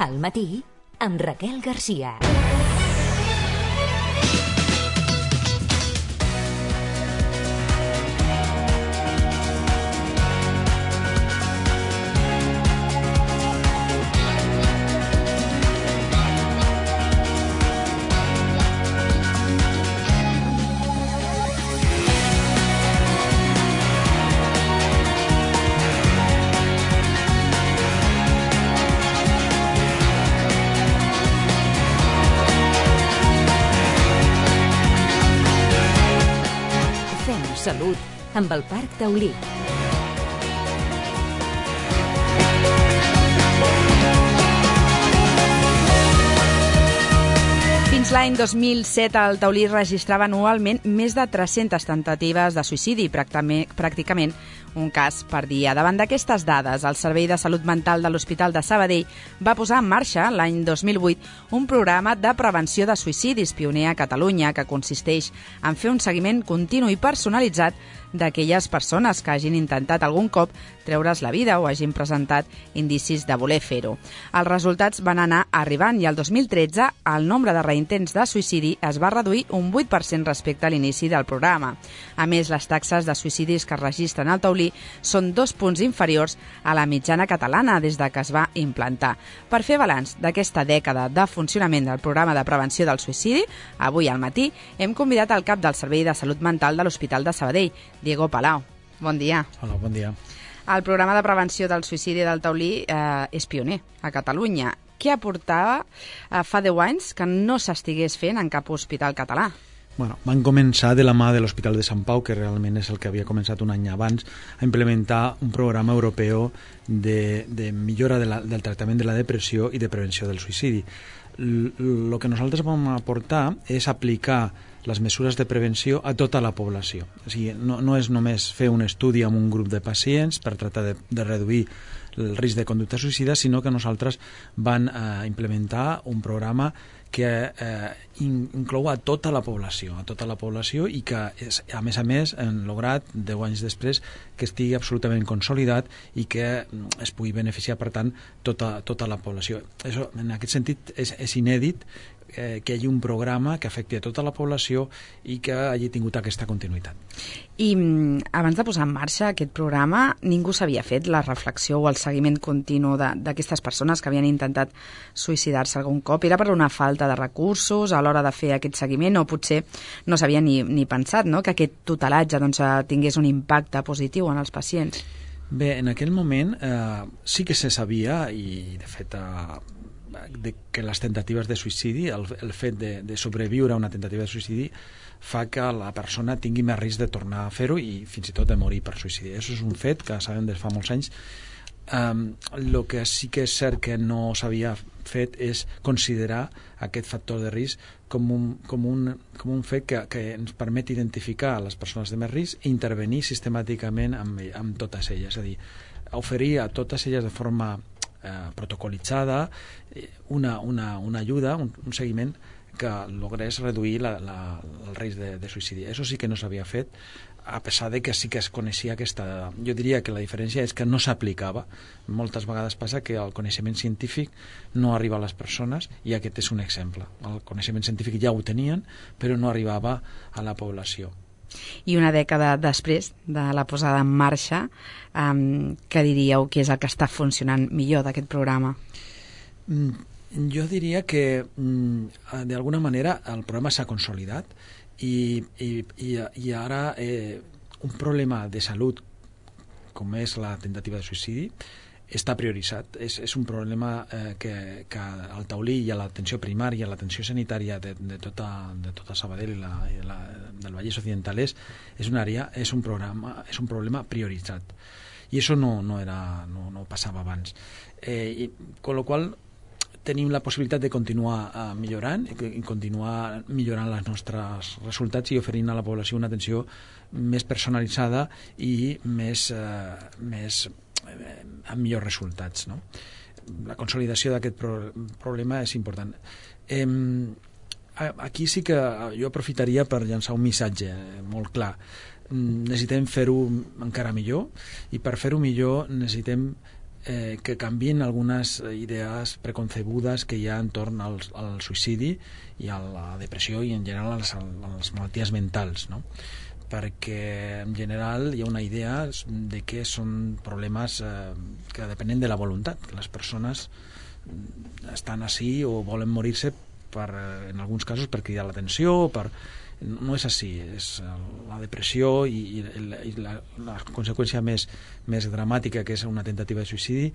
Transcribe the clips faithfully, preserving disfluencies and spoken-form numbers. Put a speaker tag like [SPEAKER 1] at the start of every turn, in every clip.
[SPEAKER 1] Al matí, amb Raquel Garcia. Salut, amb el Parc Taulí.
[SPEAKER 2] Fins l'any dos mil set, el Taulí registrava anualment més de tres-centes temptatives de suïcidi, pràcticament un cas per dia. Davant d'aquestes dades, el Servei de Salut Mental de l'Hospital de Sabadell va posar en marxa, l'any dos mil vuit, un programa de prevenció de suïcidis pioner a Catalunya que consisteix en fer un seguiment continu i personalitzat d'aquelles persones que hagin intentat algun cop treure's la vida o hagin presentat indicis de voler fer-ho. Els resultats van anar arribant i el dos mil tretze el nombre de reintents de suïcidi es va reduir un vuit per cent respecte a l'inici del programa. A més, les taxes de suïcidis que es registren al Taulí són dos punts inferiors a la mitjana catalana des de que es va implantar. Per fer balanç d'aquesta dècada de funcionament del programa de prevenció del suïcidi, avui al matí hem convidat el cap del Servei de Salut Mental de l'Hospital de Sabadell, Diego Palau. Bon dia.
[SPEAKER 3] Hola, bon dia.
[SPEAKER 2] El programa de prevenció del suïcidi del Taulí eh, és pioner a Catalunya. Què aportava eh, fa deu anys que no s'estigués fent en cap hospital català?
[SPEAKER 3] Bueno, van començar de la mà de l'Hospital de Sant Pau, que realment és el que havia començat un any abans, a implementar un programa europeu de, de millora de la, del tractament de la depressió i de prevenció del suïcidi. El que nosaltres vam aportar és aplicar les mesures de prevenció a tota la població. O sigui, no, no és només fer un estudi amb un grup de pacients per tractar de, de reduir el risc de conducta suïcida, sinó que nosaltres van eh, implementar un programa que eh, in, inclou a tota la població, a tota la població i que, és, a més a més, hem lograt, deu anys després, que estigui absolutament consolidat i que es pugui beneficiar, per tant, tota, tota la població. Això, en aquest sentit, és, és inèdit eh, que hi hagi un programa que afecti a tota la població i que hagi tingut aquesta continuïtat.
[SPEAKER 2] I abans de posar en marxa aquest programa, ningú s'havia fet la reflexió o el seguiment continu d'aquestes persones que havien intentat suïcidar-se algun cop? Era per una falta de recursos a l'hora de fer aquest seguiment o potser no s'havia ni, ni pensat, no?, que aquest tutelatge doncs, tingués un impacte positiu en els pacients?
[SPEAKER 3] Bé, en aquell moment eh, sí que se sabia i de fet eh, de que les tentatives de suïcidi, el, el fet de, de sobreviure a una tentativa de suïcidi fa que la persona tingui més risc de tornar a fer-ho i fins i tot de morir per suïcidi. Això és un fet que sabem des de fa molts anys. El um, que sí que és cert que no s'havia fet és considerar aquest factor de risc com un, com un, com un fet que, que ens permet identificar les persones de més risc i intervenir sistemàticament amb, amb totes elles. És a dir, oferir a totes elles de forma eh, protocolitzada una, una, una ajuda, un, un seguiment que logrés reduir la, la, el risc de, de suïcidi. Això sí que no s'havia fet, a pesar de que sí que es coneixia aquesta... Jo diria que la diferència és que no s'aplicava. Moltes vegades passa que el coneixement científic no arriba a les persones i aquest és un exemple. El coneixement científic ja ho tenien, però no arribava a la població.
[SPEAKER 2] I una dècada després de la posada en marxa, um, què diríeu que és el que està funcionant millor d'aquest programa?
[SPEAKER 3] Mm. Jo diria que d'alguna manera el programa s'ha consolidat i, i, i, i ara eh, un problema de salut com és la tentativa de suïcidi està prioritzat. És, és un problema eh, que, que al Taulí i a l'atenció primària, a l'atenció sanitària de, de, tota, de tota Sabadell i la, i la, del Vallès Occidental és, és una àrea, és un programa, és un problema prioritzat. I això no, no, era, no, no passava abans. Eh, i, con lo qual tenim la possibilitat de continuar uh, millorant i continuar millorant els nostres resultats i oferint a la població una atenció més personalitzada i més, uh, més eh, amb millors resultats, no? La consolidació d'aquest pro problema és important. Eh, aquí sí que jo aprofitaria per llançar un missatge molt clar. Necessitem fer-ho encara millor i per fer-ho millor necessitem eh, que canvien algunes idees preconcebudes que hi ha entorn al, al suïcidi i a la depressió i en general a les, a les malalties mentals, no? Perquè en general hi ha una idea de que són problemes eh, que depenen de la voluntat, que les persones estan així o volen morir-se per, en alguns casos per cridar l'atenció, per... no és així, és la depressió i, i, la, la conseqüència més, més dramàtica, que és una tentativa de suïcidi,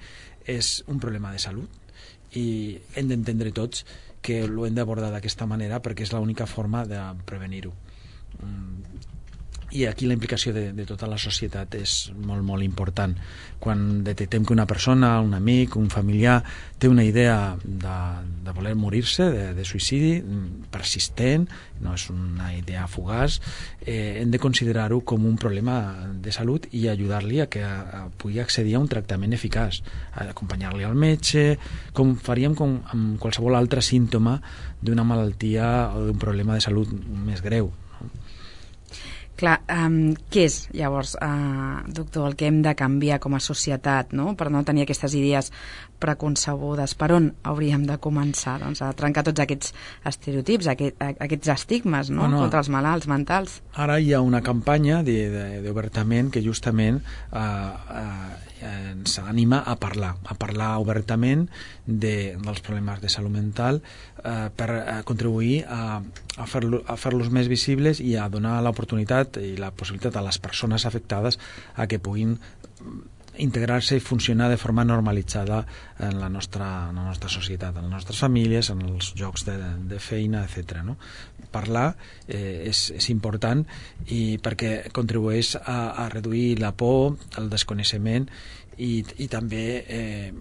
[SPEAKER 3] és un problema de salut i hem d'entendre tots que ho hem d'abordar d'aquesta manera perquè és l'única forma de prevenir-ho. I aquí la implicació de, de tota la societat és molt, molt important. Quan detectem que una persona, un amic, un familiar té una idea de, de voler morir-se, de, de suïcidi persistent, no és una idea fugaç, eh, hem de considerar-ho com un problema de salut i ajudar-li a que a, a pugui accedir a un tractament eficaç, acompanyar-li al metge, com faríem com amb qualsevol altre símptoma d'una malaltia o d'un problema de salut més greu.
[SPEAKER 2] Clar, um, què és, llavors, uh, doctor, el que hem de canviar com a societat, no?, per no tenir aquestes idees preconcebudes? Per on hauríem de començar, doncs, a trencar tots aquests estereotips, aquest, aquests estigmes, no?, bueno, contra els malalts mentals?
[SPEAKER 3] Ara hi ha una campanya d'obertament que justament uh, uh, ens anima a parlar, a parlar obertament de, dels problemes de salut mental eh, per a contribuir a, a fer-los a fer-los més visibles i a donar l'oportunitat i la possibilitat a les persones afectades a que puguin integrar-se i funcionar de forma normalitzada en la nostra, en la nostra societat, en les nostres famílies, en els llocs de, de feina, etcètera. No? Parlar eh, és, és important i perquè contribueix a, a reduir la por, el desconeixement i, i també eh,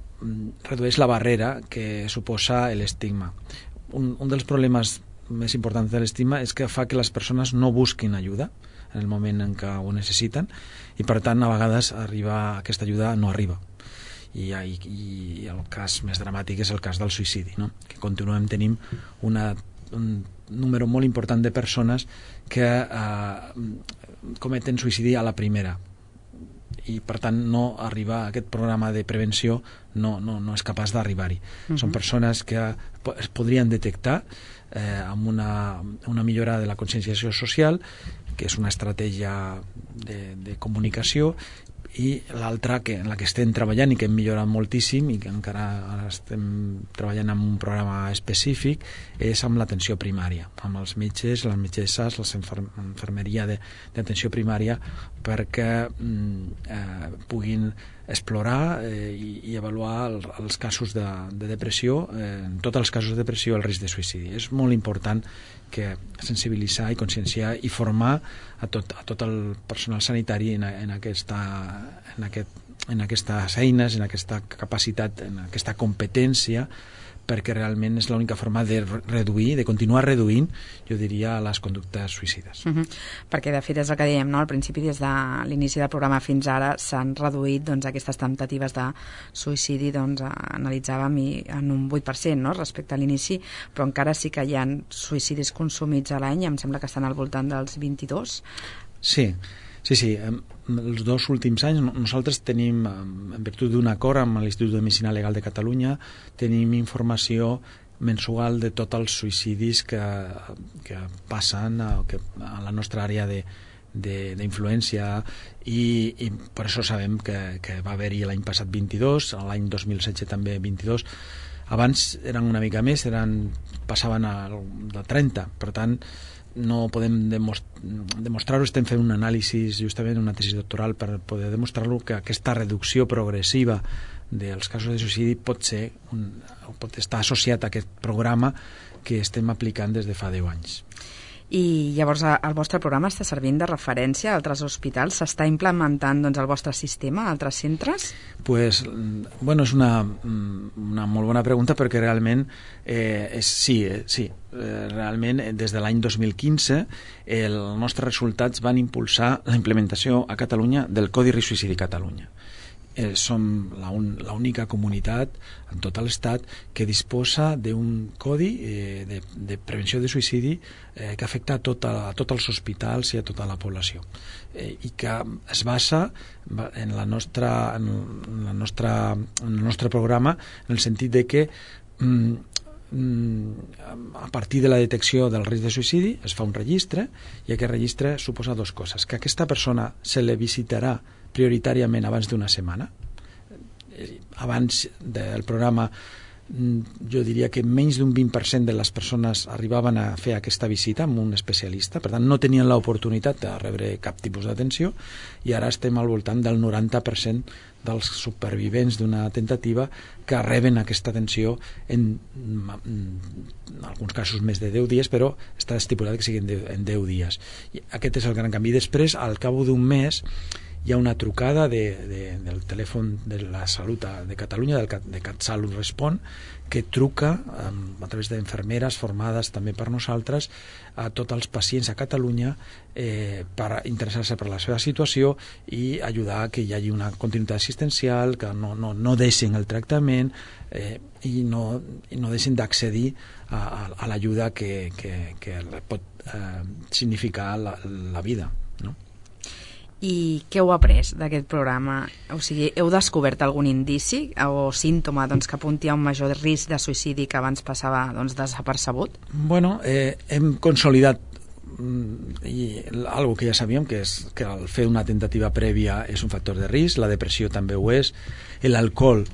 [SPEAKER 3] redueix la barrera que suposa l'estigma. Un, un dels problemes més importants de l'estigma és que fa que les persones no busquin ajuda en el moment en què ho necessiten i per tant a vegades arriba, aquesta ajuda no arriba i, i, i el cas més dramàtic és el cas del suïcidi, no? Que continuem tenint una, un número molt important de persones que eh, cometen suïcidi a la primera i per tant no arriba a aquest programa de prevenció, no, no, no és capaç d'arribar-hi. Uh-huh. Són persones que es podrien detectar eh, amb una, una millora de la conscienciació social, que és una estratègia de, de comunicació, i l'altra que, en la que estem treballant i que hem millorat moltíssim i que encara ara estem treballant en un programa específic és amb l'atenció primària, amb els metges, les metgesses, la infermeria d'atenció primària perquè eh, puguin explorar eh, i, i avaluar el, els casos de, de depressió, eh, en tots els casos de depressió el risc de suïcidi. És molt important que sensibilitzar i conscienciar i formar a tot, a tot el personal sanitari en, en, aquesta, en, aquest, en aquestes eines, en aquesta capacitat, en aquesta competència, perquè realment és l'única forma de reduir, de continuar reduint, jo diria, les conductes suïcides.
[SPEAKER 2] Uh-huh. Perquè, de fet, és el que dèiem, no? Al principi, des de l'inici del programa fins ara, s'han reduït doncs, aquestes temptatives de suïcidi, doncs, analitzàvem i en un vuit per cent, no? Respecte a l'inici, però encara sí que hi ha suïcidis consumits a l'any, em sembla que estan al voltant dels vint-i-dos.
[SPEAKER 3] Sí, sí, sí. Els dos últims anys nosaltres tenim, en virtut d'un acord amb l'Institut de Medicina Legal de Catalunya, tenim informació mensual de tots els suïcidis que, que passen a, que, a la nostra àrea de, d'influència i, i per això sabem que, que va haver-hi l'any passat vint-i-dos, l'any dos mil setze també vint-i-dos. Abans eren una mica més, eren, passaven a, de trenta, per tant no podem demostrar-ho, estem fent un anàlisi justament, una tesi doctoral per poder demostrar-lo, que aquesta reducció progressiva dels casos de suïcidi pot ser un, pot estar associat a aquest programa que estem aplicant des de fa deu anys.
[SPEAKER 2] I llavors el vostre programa està servint de referència a altres hospitals? S'està implementant doncs, el vostre sistema a altres centres?
[SPEAKER 3] Pues, bueno, és una, una molt bona pregunta perquè realment eh, és, sí, eh, sí eh, realment des de l'any dos mil quinze els nostres resultats van impulsar la implementació a Catalunya del Codi Risc Suïcidi Catalunya. eh, som l'única comunitat en tot l'estat que disposa d'un codi eh, de, de prevenció de suïcidi eh, que afecta a, tota, a tots els hospitals i a tota la població, eh, i que es basa en, la nostra, en, la nostra, en el nostre programa, en el sentit de que mm, a partir de la detecció del risc de suïcidi es fa un registre, i aquest registre suposa dues coses: que aquesta persona se le visitarà prioritàriament abans d'una setmana. Abans del programa jo diria que menys d'un vint per cent de les persones arribaven a fer aquesta visita amb un especialista, per tant no tenien l'oportunitat de rebre cap tipus d'atenció, i ara estem al voltant del noranta per cent dels supervivents d'una tentativa que reben aquesta atenció en, en alguns casos més de deu dies, però està estipulat que siguin en deu dies. I aquest és el gran canvi. Després, al cap d'un mes, hi ha una trucada de, de, del telèfon de la Salut de Catalunya, del, de CatSalut Respon, que truca a través d'infermeres formades també per nosaltres a tots els pacients a Catalunya eh, per interessar-se per la seva situació i ajudar a que hi hagi una continuïtat assistencial, que no, no, no deixin el tractament eh, i, no, i no deixin d'accedir a, a, a l'ajuda que, que, que pot eh, significar la, la vida, no?
[SPEAKER 2] I què heu après d'aquest programa? O sigui, heu descobert algun indici o símptoma doncs, que apunti a un major risc de suïcidi que abans passava doncs, desapercebut?
[SPEAKER 3] Bueno, eh, hem consolidat i algo que ja sabíem, que és que el fer una tentativa prèvia és un factor de risc, la depressió també ho és, l'alcohol,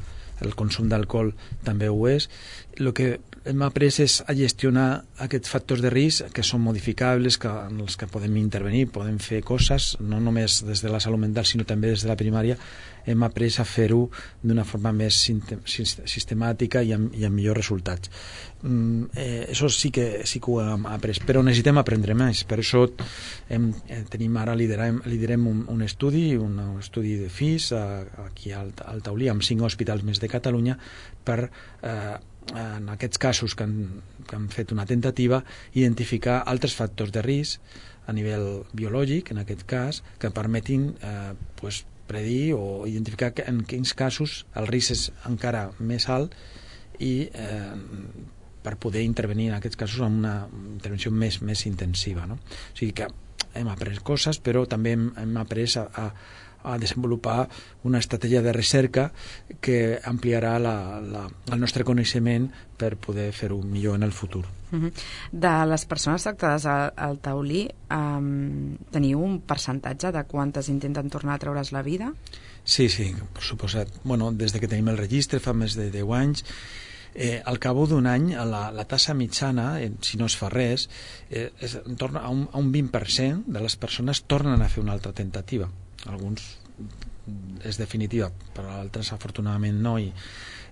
[SPEAKER 3] el consum d'alcohol també ho és. El que hem après és a gestionar aquests factors de risc que són modificables, que, en els que podem intervenir, podem fer coses, no només des de la salut mental, sinó també des de la primària. Hem après a fer-ho d'una forma més sistemàtica i amb, i amb millors resultats. Mm, eh, això sí que, sí que ho hem après, però necessitem aprendre més. Per això hem, eh, tenim ara, liderem, liderem un, un estudi, un, un estudi de F I S a, aquí al, al Taulí, amb cinc hospitals més de Catalunya, per eh, en aquests casos que han, que han fet una tentativa, identificar altres factors de risc a nivell biològic, en aquest cas, que permetin eh, pues, predir o identificar que en quins casos el risc és encara més alt i eh, per poder intervenir en aquests casos amb una intervenció més, més intensiva, no? O sigui que hem après coses, però també hem, hem après a, a a desenvolupar una estratègia de recerca que ampliarà la, la, el nostre coneixement per poder fer-ho millor en el futur.
[SPEAKER 2] Uh-huh. De les persones tractades al, al Taulí, um, teniu un percentatge de quantes intenten tornar a treure's la vida?
[SPEAKER 3] Sí, sí, per suposat. Bueno, des de que tenim el registre, fa més de deu anys, Eh, al cap d'un any la, la tassa mitjana, eh, si no es fa res, eh, és, torna a, un, a un vint per cent de les persones tornen a fer una altra tentativa. Alguns és definitiva, però altres afortunadament no, i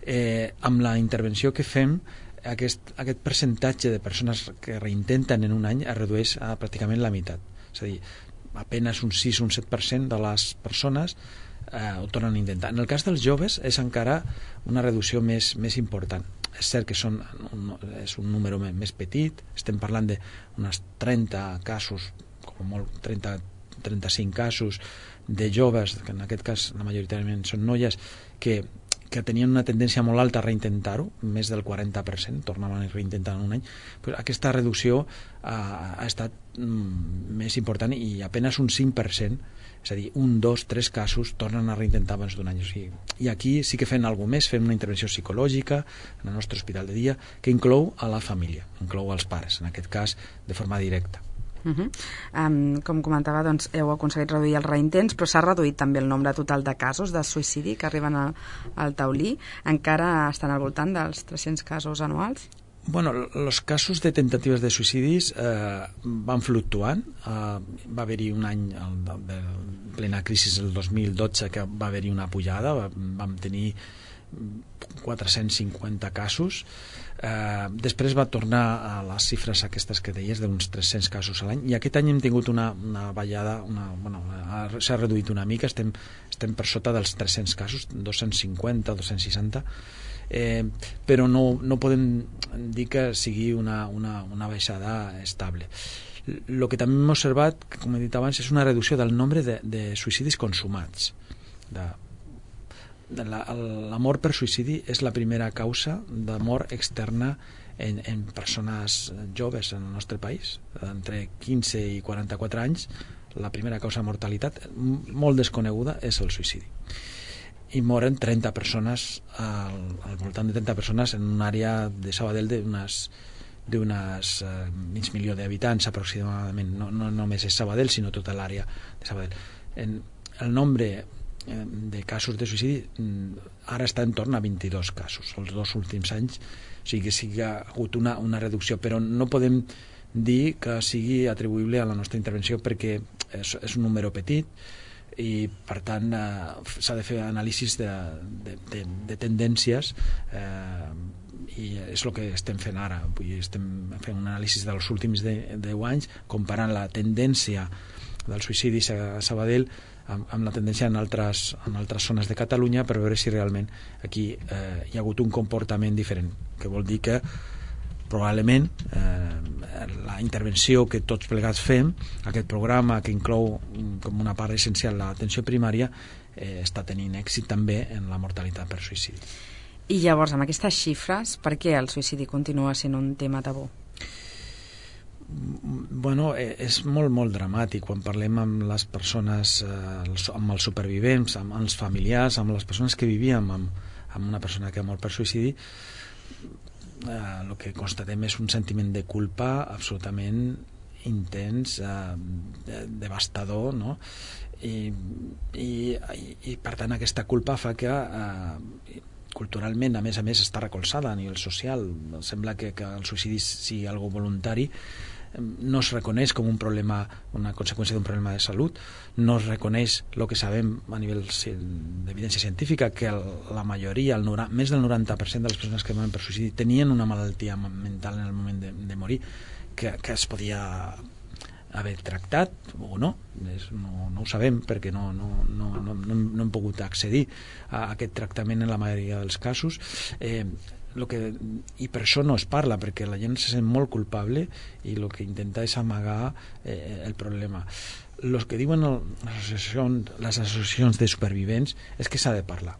[SPEAKER 3] eh, amb la intervenció que fem aquest, aquest percentatge de persones que reintenten en un any es redueix a pràcticament la meitat. És a dir, apenas un sis o un set per cent de les persones Eh, ho tornen a intentar. En el cas dels joves és encara una reducció més, més important. És cert que són un, és un número més, més petit, estem parlant d'unes trenta casos, com molt trenta a trenta-cinc casos de joves, que en aquest cas la majoritàriament són noies, que, que tenien una tendència molt alta a reintentar-ho, més del quaranta per cent tornaven a reintentar en un any. Pues aquesta reducció ha, ha estat mm, més important, i apenas un cinc per cent, és a dir, un, dos, tres casos tornen a reintentar abans d'un any. O sigui, i aquí sí que fem alguna més, fem una intervenció psicològica en el nostre hospital de dia que inclou a la família, inclou als pares, en aquest cas de forma directa.
[SPEAKER 2] Uh -huh. um, com comentava, doncs, heu aconseguit reduir els reintents, però s'ha reduït també el nombre total de casos de suïcidi que arriben a, al Taulí. Encara estan al voltant dels tres-cents casos anuals?
[SPEAKER 3] Bueno, els casos de tentatives de suïcidis eh, van fluctuant. Eh, va haver-hi un any el, de, de plena crisi, el dos mil dotze, que va haver-hi una pujada, va, vam tenir quatre-cents cinquanta casos. Eh, després va tornar a les xifres aquestes que deies, d'uns tres-cents casos a l'any, i aquest any hem tingut una, una ballada, una, bueno, s'ha reduït una mica, estem, estem per sota dels tres-cents casos, dos-cents cinquanta, dos-cents seixanta, eh, però no, no podem dir que sigui una, una, una baixada estable. El que també hem observat, com he dit abans, és una reducció del nombre de, de suïcidis consumats. De, l'amor per suïcidi és la primera causa de mort externa en, en persones joves en el nostre país, entre quinze i quaranta-quatre anys. La primera causa de mortalitat molt desconeguda és el suïcidi, i moren trenta persones al, al voltant de trenta persones en una àrea de Sabadell d'unes d'unes eh, mig milió d'habitants aproximadament. No, no només és Sabadell, sinó tota l'àrea de Sabadell. En, el nombre eh, de casos de suïcidi ara està en torn a vint-i-dos casos els dos últims anys, o sigui que sí que ha hagut una, una reducció, però no podem dir que sigui atribuïble a la nostra intervenció perquè és, és un número petit i per tant eh, s'ha de fer anàlisis de, de, de, de tendències, eh, i és el que estem fent ara. Vull dir, estem fent un anàlisi dels últims deu anys comparant la tendència del suïcidi a Sabadell amb, amb la tendència en altres, en altres zones de Catalunya, per veure si realment aquí eh, hi ha hagut un comportament diferent, que vol dir que probablement eh, la intervenció que tots plegats fem, aquest programa que inclou com una part essencial l'atenció primària, eh, està tenint èxit també en la mortalitat per suïcidi.
[SPEAKER 2] I llavors, amb aquestes xifres, per què el suïcidi continua sent un tema tabú?
[SPEAKER 3] Bueno, és molt, molt dramàtic quan parlem amb les persones, eh, amb els supervivents, amb els familiars, amb les persones que vivíem amb, amb una persona que ha mort per suïcidi. Eh, el que constatem és un sentiment de culpa absolutament intens, eh, devastador, no? I, i, i per tant aquesta culpa fa que eh, culturalment, a més a més, està recolzada a nivell social. Sembla que, que el suïcidi sigui algo voluntari, no es reconeix com un problema, una conseqüència d'un problema de salut, no es reconeix el que sabem a nivell d'evidència científica, que el, la majoria, el noranta, més del noranta per cent de les persones que moren per suïcidi tenien una malaltia mental en el moment de, de morir, que, que es podia haver tractat o no, és, no, no ho sabem perquè no, no, no, no, no hem pogut accedir a aquest tractament en la majoria dels casos. Eh, lo que, i per això no es parla, perquè la gent se sent molt culpable i el que intenta és amagar eh, el problema. Los que diuen el, les, associacions, les associacions de supervivents és que s'ha de parlar,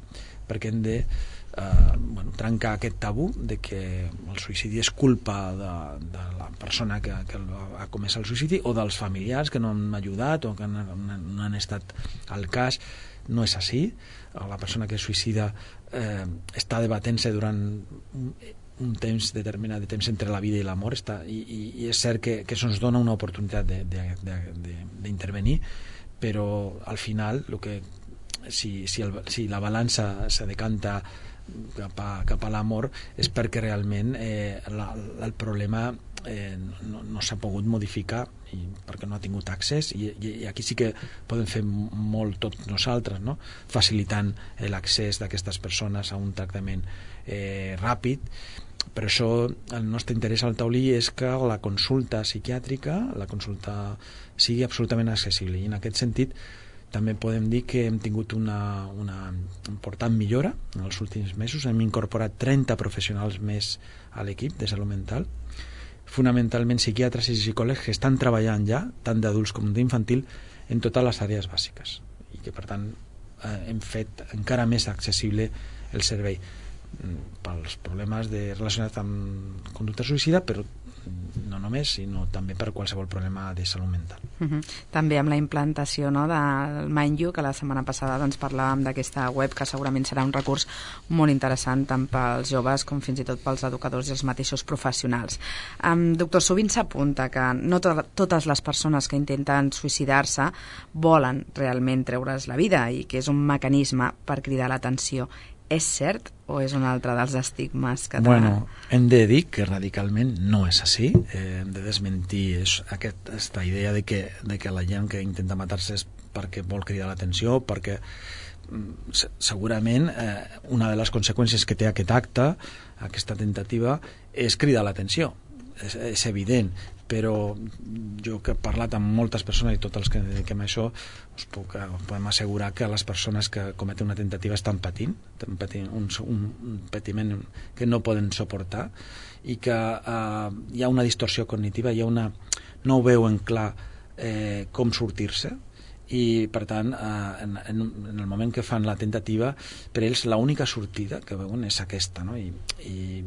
[SPEAKER 3] perquè hem de eh, bueno, trencar aquest tabú de que el suïcidi és culpa de, de la persona que, que ha comès el suïcidi o dels familiars que no han ajudat o que no han, no han estat al cas. No és així. La persona que es suïcida eh, està debatent-se durant un, un temps determinat de temps entre la vida i la mort, està, i, i, i és cert que, que se'ns dona una oportunitat d'intervenir, però al final el que, si, si, el, si la balança se decanta cap a, cap a l'amor és perquè realment eh, la, el problema eh, no, no s'ha pogut modificar i perquè no ha tingut accés, i, i, i aquí sí que podem fer molt tots nosaltres, no? Facilitant l'accés d'aquestes persones a un tractament eh, ràpid. Per això el nostre interès al taulí és que la consulta psiquiàtrica, la consulta sigui absolutament accessible, i en aquest sentit també podem dir que hem tingut una, una important millora en els últims mesos. Hem incorporat trenta professionals més a l'equip de salut mental, fonamentalment psiquiatres i psicòlegs que estan treballant ja, tant d'adults com d'infantil, en totes les àrees bàsiques, i que per tant eh, hem fet encara més accessible el servei pels problemes de, relacionats amb conducta suïcida, però no només, sinó també per qualsevol problema de salut mental.
[SPEAKER 2] Uh-huh. També amb la implantació, no, del MindYou, que la setmana passada doncs, parlàvem d'aquesta web, que segurament serà un recurs molt interessant tant pels joves com fins i tot pels educadors i els mateixos professionals. Um, doctor, sovint s'apunta que no to totes les persones que intenten suïcidar-se volen realment treure's la vida i que és un mecanisme per cridar l'atenció. És cert o és un altre dels estigmes que...
[SPEAKER 3] Bueno, hem de dir que radicalment no és així. Eh, hem de desmentir és aquest, aquesta idea de que, de que la gent que intenta matar-se és perquè vol cridar l'atenció, perquè segurament eh, una de les conseqüències que té aquest acte, aquesta tentativa, és cridar l'atenció. És, és evident, però jo que he parlat amb moltes persones i tots els que dediquem a això, us puc, us podem assegurar que les persones que cometen una tentativa estan patint, estan patint un, un, un patiment que no poden suportar, i que eh, hi ha una distorsió cognitiva, hi ha una, no ho veuen clar eh, com sortir-se, i per tant eh, en, en, en el moment que fan la tentativa, per ells l'única sortida que veuen és aquesta, no? I, i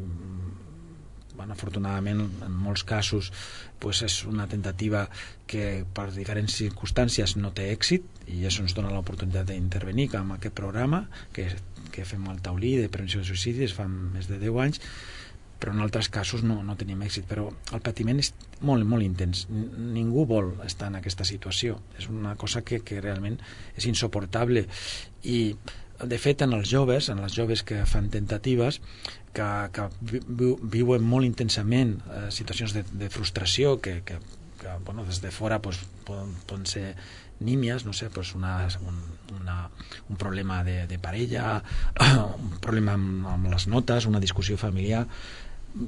[SPEAKER 3] bueno, afortunadament en molts casos pues, és una tentativa que per diferents circumstàncies no té èxit i això ens dona l'oportunitat d'intervenir amb aquest programa que, que fem al Taulí de prevenció de suïcidi, es fa més de deu anys, però en altres casos no, no tenim èxit. Però el patiment és molt, molt intens. Ningú vol estar en aquesta situació. És una cosa que, que realment és insuportable. I, de fet, en els joves, en les joves que fan tentatives, que, que vi, viuen molt intensament eh, situacions de, de frustració, que, que, que bueno, des de fora pues, poden, poden ser nímies, no sé, pues una, un, una, un problema de, de parella, un problema amb, amb les notes, una discussió familiar,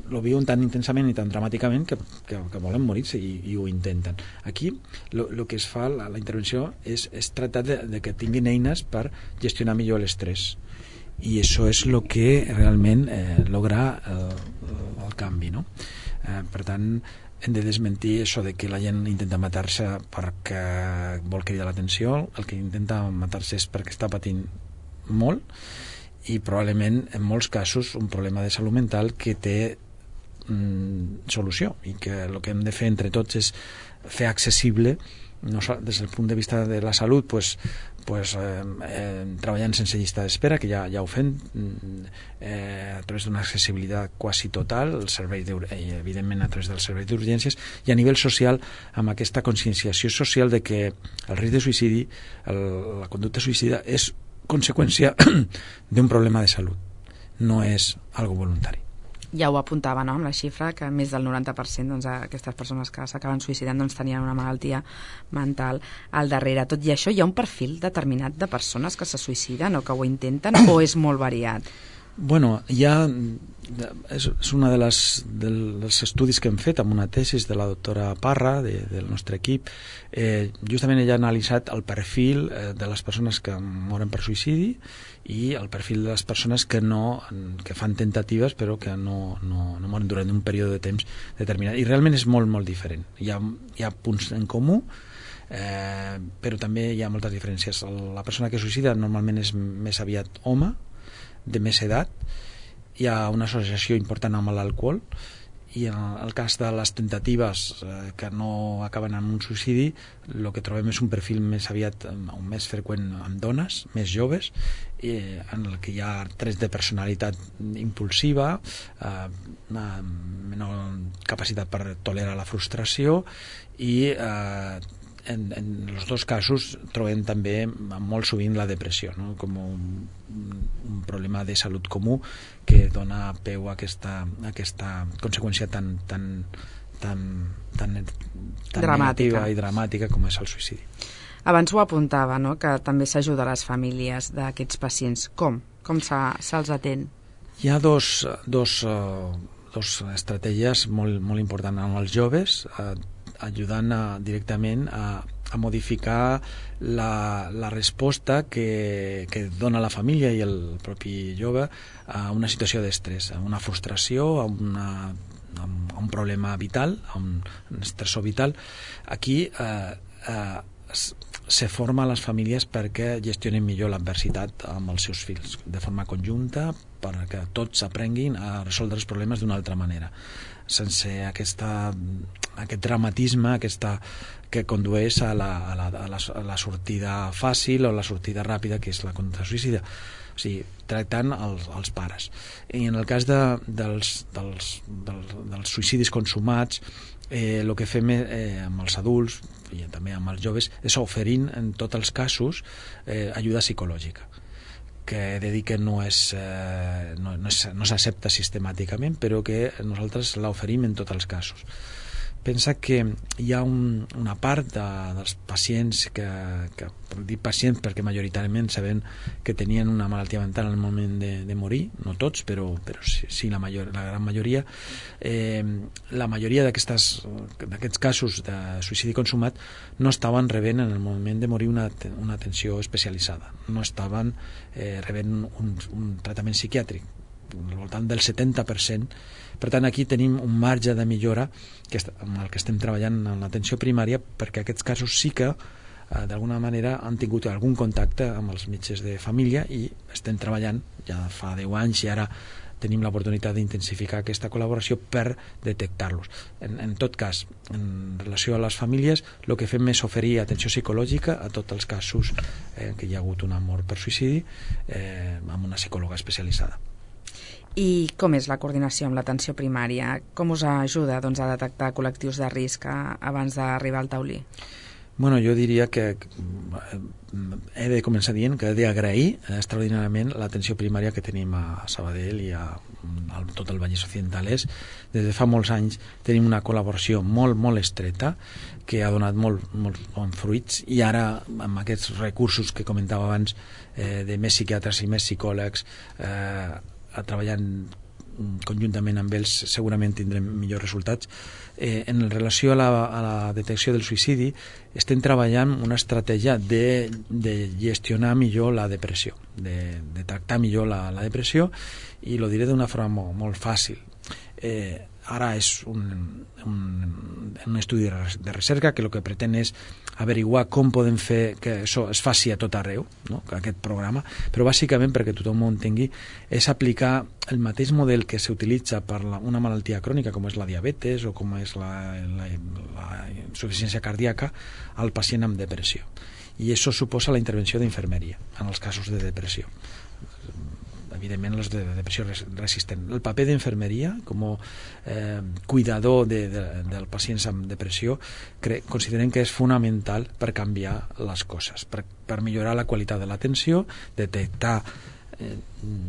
[SPEAKER 3] lo viuen tan intensament i tan dramàticament que, que, que volen morir-se i, i ho intenten. Aquí el que es fa, la, la intervenció és, és tractar de, de que tinguin eines per gestionar millor l'estrès i això és el que realment eh, logra eh, el canvi, no? Eh, per tant hem de desmentir això de que la gent intenta matar-se perquè vol cridar l'atenció. El que intenta matar-se és perquè està patint molt i probablement en molts casos un problema de salut mental que té mm, solució i que el que hem de fer entre tots és fer accessible no, des del punt de vista de la salut pues, pues, eh, eh, treballant sense llista d'espera, que ja, ja ho fem eh, a través d'una accessibilitat quasi total, el servei eh, evidentment a través del servei d'urgències i a nivell social amb aquesta conscienciació social de que el risc de suïcidi, el, la conducta suïcida és conseqüència d'un problema de salut, no és algo voluntari.
[SPEAKER 2] Ja ho apuntava, no?, amb la xifra, que més del noranta per cent doncs, aquestes persones que s'acaben suïcidant doncs, tenien una malaltia mental al darrere. Tot i això, hi ha un perfil determinat de persones que se suïciden o que ho intenten o és molt variat?
[SPEAKER 3] Bueno, ja és, és una de les, dels estudis que hem fet amb una tesis de la doctora Parra de, del nostre equip. Eh, justament ella ha analitzat el perfil eh, de les persones que moren per suïcidi i el perfil de les persones que no que fan tentatives però que no, no, no moren durant un període de temps determinat. I realment és molt, molt diferent. Hi ha, hi ha punts en comú, eh, però també hi ha moltes diferències. La persona que suïcida normalment és més aviat home, de més edat, hi ha una associació important amb l'alcohol i en el cas de les tentatives eh, que no acaben en un suïcidi el que trobem és un perfil més aviat o més freqüent amb dones més joves eh, en el que hi ha trets de personalitat impulsiva, eh, una menor capacitat per tolerar la frustració i eh, En, en els dos casos trobem també molt sovint la depressió, no? Com un, un problema de salut comú que dona peu a aquesta, a aquesta conseqüència tan, tan, tan, tan, tan negativa i dramàtica com és el suïcidi.
[SPEAKER 2] Abans ho apuntava, no?, que també s'ajuda a les famílies d'aquests pacients. Com? Com se'ls atén?
[SPEAKER 3] Hi ha dos, dos, uh, dos estratègies molt, molt importants amb els joves, uh, ajudant a, directament a, a modificar la, la resposta que, que dona la família i el propi jove a una situació d'estrès, a una frustració, a, una, a un problema vital, a un, un estressor vital. Aquí eh, eh, se forma les famílies perquè gestionen millor l'adversitat amb els seus fills, de forma conjunta, perquè tots aprenguin a resoldre els problemes d'una altra manera, sense aquesta, aquest dramatisme aquesta, que condueix a la, a, la, a, la, a la sortida fàcil o la sortida ràpida, que és la conducta suïcida. O sigui, tractant els, els pares. I en el cas de, dels, dels, dels, dels suïcidis consumats, eh, el que fem eh, amb els adults i també amb els joves és oferint en tots els casos eh, ajuda psicològica, que he de dir que no és, eh, no, no, és, no s'accepta sistemàticament, però que nosaltres l'oferim en tots els casos. Pensa que hi ha un, una part de, dels pacients que, que dic pacients perquè majoritàriament sabem que tenien una malaltia mental en el moment de, de morir, no tots, però, però sí, sí la, major, la gran majoria. Eh, la majoria d'aquests casos de suïcidi consumat no estaven rebent en el moment de morir una, una atenció especialitzada, no estaven eh, rebent un, un tractament psiquiàtric, al voltant del setanta per cent. Per tant, aquí tenim un marge de millora que amb el que estem treballant en l'atenció primària, perquè aquests casos sí que eh, d'alguna manera han tingut algun contacte amb els metges de família i estem treballant ja fa deu anys i ara tenim l'oportunitat d'intensificar aquesta col·laboració per detectar-los. En, en tot cas, en relació a les famílies, el que fem és oferir atenció psicològica a tots els casos eh, que hi ha hagut una mort per suïcidi eh, amb una psicòloga especialitzada.
[SPEAKER 2] I com és la coordinació amb l'atenció primària? Com us ajuda doncs, a detectar col·lectius de risc abans d'arribar al taulí?
[SPEAKER 3] Bueno, jo diria que he de començar dient que he d'agrair extraordinàriament l'atenció primària que tenim a Sabadell i a, a tot el Vallès Occidentalès. Des de fa molts anys tenim una col·laboració molt, molt estreta que ha donat molt, molt bons fruits i ara amb aquests recursos que comentava abans eh, de més psiquiatres i més psicòlegs eh, treballant conjuntament amb ells segurament tindrem millors resultats. Eh, en relació a la, a la detecció del suïcidi estem treballant una estratègia de, de gestionar millor la depressió, de, de tractar millor la, la depressió i lo diré d'una forma molt, molt fàcil. Eh, ara és un, un, un estudi de recerca que el que pretén és averiguar com podem fer que això es faci a tot arreu, no? Aquest programa, però bàsicament perquè tothom ho entengui és aplicar el mateix model que s'utilitza per la, una malaltia crònica com és la diabetes o com és la, la, la insuficiència cardíaca al pacient amb depressió, i això suposa la intervenció d'infermeria en els casos de depressió, evidentment els de depressió resistent. El paper d'infermeria com a eh, cuidador de, de, dels pacients amb depressió cre considerem que és fonamental per canviar les coses, per, per millorar la qualitat de l'atenció, detectar eh,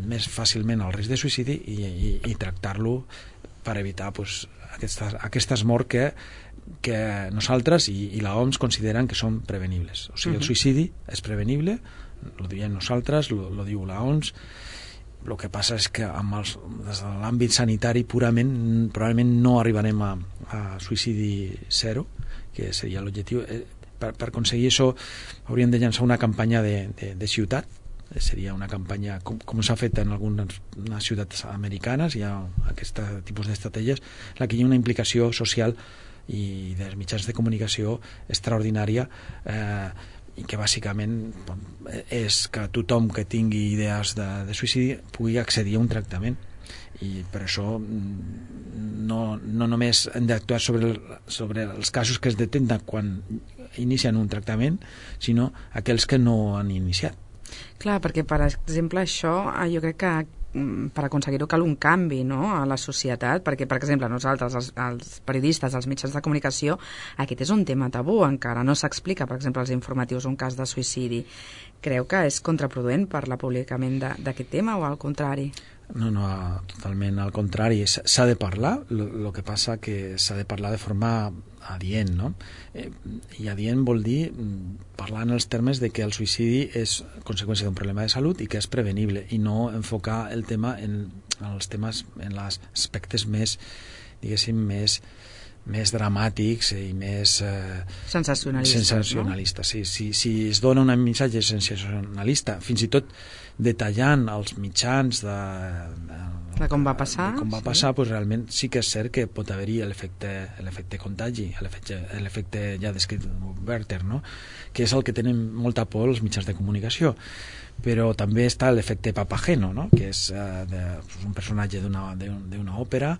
[SPEAKER 3] més fàcilment el risc de suïcidi i, i, i tractar-lo per evitar pues, aquestes, aquestes morts que, que nosaltres i, i l'O M S consideren que són prevenibles. O sigui, el suïcidi és prevenible, ho diem nosaltres, ho diu l'O M S. El que passa és que amb els, des de l'àmbit sanitari purament probablement no arribarem a, a suïcidi zero, que seria l'objectiu. Per, per aconseguir això hauríem de llançar una campanya de, de, de ciutat. Seria una campanya com, com s'ha fet en algunes ciutats americanes, hi ha aquest tipus d'estratègies en la que hi ha una implicació social i dels mitjans de comunicació extraordinària, eh, i que bàsicament és que tothom que tingui idees de, de suïcidi pugui accedir a un tractament, i per això no, no només hem d'actuar sobre, el, sobre els casos que es detecten quan inicien un tractament, sinó aquells que no han iniciat.
[SPEAKER 2] Clar, perquè per exemple això jo crec que per aconseguir-ho cal un canvi, no?, a la societat, perquè per exemple nosaltres, els, els periodistes, els mitjans de comunicació, aquest és un tema tabú, encara no s'explica, per exemple, als informatius un cas de suïcidi. Creu que és contraproduent per l'apublicament d'aquest tema o al contrari?
[SPEAKER 3] No, no, totalment al contrari. S'ha de parlar, el que passa que s'ha de parlar de forma adient, no? Eh, I adient vol dir parlar en els termes de que el suïcidi és conseqüència d'un problema de salut i que és prevenible, i no enfocar el tema en, en els temes, en els aspectes més, diguéssim, més més dramàtics i més eh,
[SPEAKER 2] sensacionalistes,
[SPEAKER 3] sensacionalistes, no? Sí, sí, si es dona un missatge sensacionalista, fins i tot detallant els mitjans de, de,
[SPEAKER 2] de com va passar,
[SPEAKER 3] de com va passar sí. Pues realment sí que és cert que pot haver-hi l'efecte contagi, l'efecte ja descrit Werther, no? Que és el que tenen molta por els mitjans de comunicació. Però també està l'efecte Papageno, no? Que és eh, de, un personatge d'una d'una òpera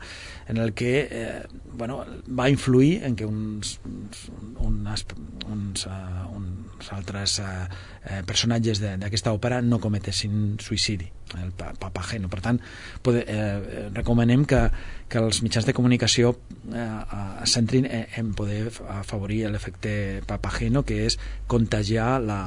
[SPEAKER 3] en el que eh, bueno, va influir en que uns, uns, uns, uns, uh, uns altres uh, personatges d'aquesta òpera no cometessin suïcidi, el Papageno. Per tant, pode, eh, recomanem que, que els mitjans de comunicació eh, es centrin en poder afavorir l'efecte Papageno, que és contagiar la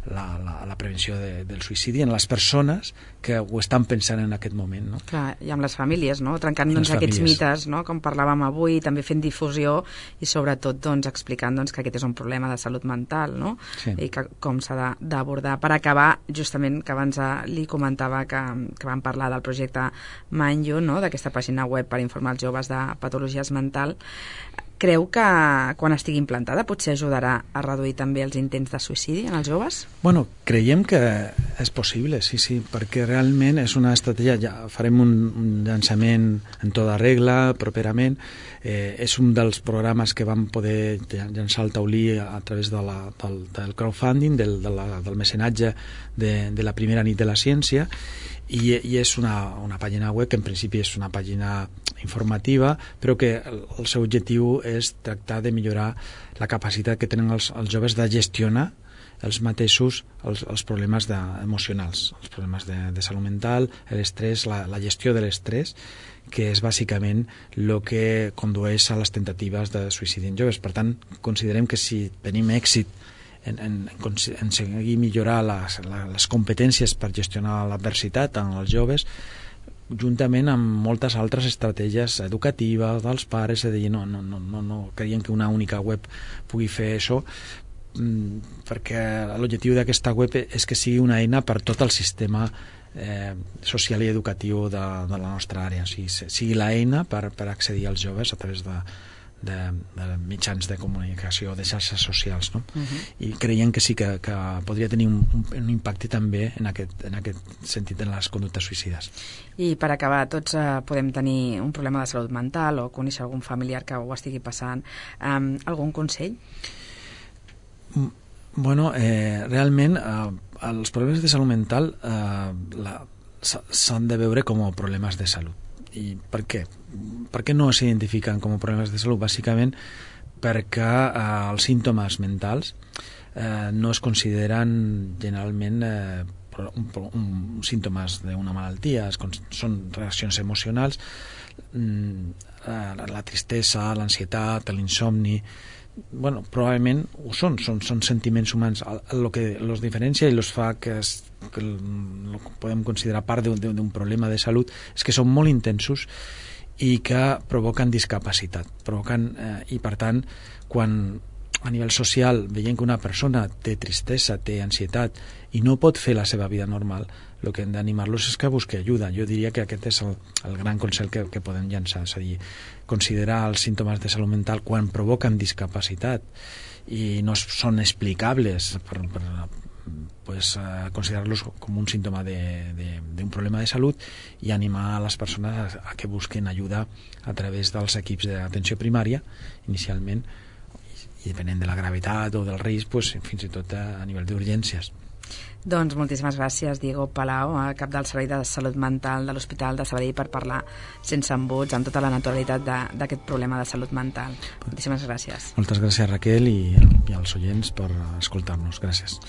[SPEAKER 3] La, la, la prevenció de, del suïcidi en les persones que ho estan pensant en aquest moment, no?
[SPEAKER 2] Clar, i amb les famílies, no? Trencant doncs, aquests mites, no? Com parlàvem avui, també fent difusió i sobretot doncs, explicant doncs, que aquest és un problema de salut mental, no? Sí. I que, com s'ha d'abordar. Per acabar, justament, que abans li comentava que, que vam parlar del projecte Mind You, no? D'aquesta pàgina web per informar els joves de patologies mentals. Creu que quan estigui implantada potser ajudarà a reduir també els intents de suïcidi en els joves?
[SPEAKER 3] Bueno, creiem que és possible, sí, sí, perquè realment és una estratègia, ja farem un, un llançament en tota regla properament, eh, és un dels programes que vam poder llançar al taulí a través de la, del, del crowdfunding, del, de la, del mecenatge de, de la primera nit de la ciència, i, i és una, una pàgina web que en principi és una pàgina informativa, però que el, el seu objectiu és tractar de millorar la capacitat que tenen els, els joves de gestionar els mateixos els, els problemes de, emocionals, els problemes de, de salut mental, l'estrès, la, la gestió de l'estrès, que és bàsicament el que condueix a les tentatives de suïcidi en joves. Per tant, considerem que si tenim èxit en, en, en seguir millorar les, les competències per gestionar l'adversitat en els joves, juntament amb moltes altres estratègies educatives dels pares, és a dir, no, no, no, no, no creiem que una única web pugui fer això, perquè l'objectiu d'aquesta web és que sigui una eina per tot el sistema eh, social i educatiu de, de la nostra àrea, o sigui, sigui l'eina per, per accedir als joves a través de, de, de mitjans de comunicació, de xarxes socials, no? Uh-huh. I creiem que sí que, que podria tenir un, un impacte també en aquest, en aquest sentit en les conductes suïcides.
[SPEAKER 2] I per acabar, tots eh, podem tenir un problema de salut mental o conèixer algun familiar que ho estigui passant. Um, algun consell?
[SPEAKER 3] Bueno, eh, realment eh, els problemes de salut mental eh, s'han de veure com a problemes de salut. I per què? Per què no s'identifiquen com a problemes de salut? Bàsicament perquè eh, els símptomes mentals eh, no es consideren generalment eh, un, un, símptomes d'una malaltia, es, són reaccions emocionals, la, la tristesa, l'ansietat, l'insomni, bueno, probablement ho són, són, són sentiments humans. El que els diferencia i els fa que, es, que el podem considerar part d'un problema de salut és que són molt intensos i que provoquen discapacitat, provoquen, eh, i per tant, quan a nivell social veiem que una persona té tristesa, té ansietat i no pot fer la seva vida normal, el que hem d'animar-los és que busqui ajuda. Jo diria que aquest és el, el gran consell que, que podem llançar, és a dir, considerar els símptomes de salut mental quan provoquen discapacitat i no són explicables per, per pues, uh, considerar-los com un símptoma d'un problema de salut i animar a les persones a, a que busquen ajuda a través dels equips d'atenció primària inicialment, i depenent de la gravetat o del risc, pues, fins i tot a, a nivell d'urgències.
[SPEAKER 2] Doncs moltíssimes gràcies, Diego Palau, cap del Servei de Salut Mental de l'Hospital de Sabadell, per parlar sense embuts, amb tota la naturalitat d'aquest problema de salut mental. Moltíssimes gràcies.
[SPEAKER 3] Moltes gràcies, Raquel, i, i als oients per escoltar-nos. Gràcies.